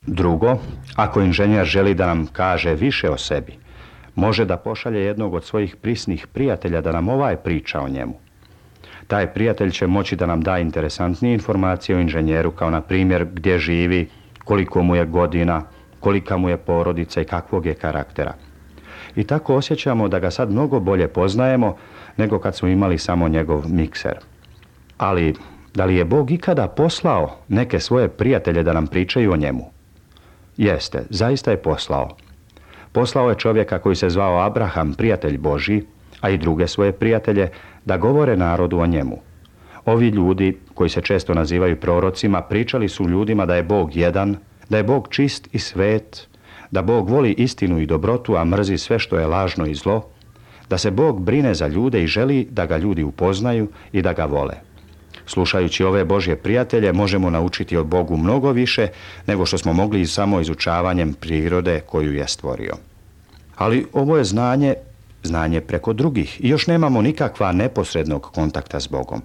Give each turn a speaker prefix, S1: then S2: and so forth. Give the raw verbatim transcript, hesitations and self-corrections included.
S1: Drugo, ako inženjer želi da nam kaže više o sebi, može da pošalje jednog od svojih prisnih prijatelja da nam ovaj priča o njemu. Taj prijatelj će moći da nam da interesantnije informacije o inženjeru, kao na primjer gdje živi, koliko mu je godina, kolika mu je porodica i kakvog je karaktera. I tako osjećamo da ga sad mnogo bolje poznajemo nego kad smo imali samo njegov mikser. Ali, da li je Bog ikada poslao neke svoje prijatelje da nam pričaju o njemu? Jeste, zaista je poslao. Poslao je čovjeka koji se zvao Abraham, prijatelj Božji, a i druge svoje prijatelje, da govore narodu o njemu. Ovi ljudi, koji se često nazivaju prorocima, pričali su ljudima da je Bog jedan, da je Bog čist i svet, da Bog voli istinu i dobrotu, a mrzi sve što je lažno i zlo, da se Bog brine za ljude i želi da ga ljudi upoznaju i da ga vole. Slušajući ove Božje prijatelje, možemo naučiti o Bogu mnogo više nego što smo mogli i samo izučavanjem prirode koju je stvorio. Ali ovo je znanje, znanje preko drugih i još nemamo nikakva neposrednog kontakta s Bogom.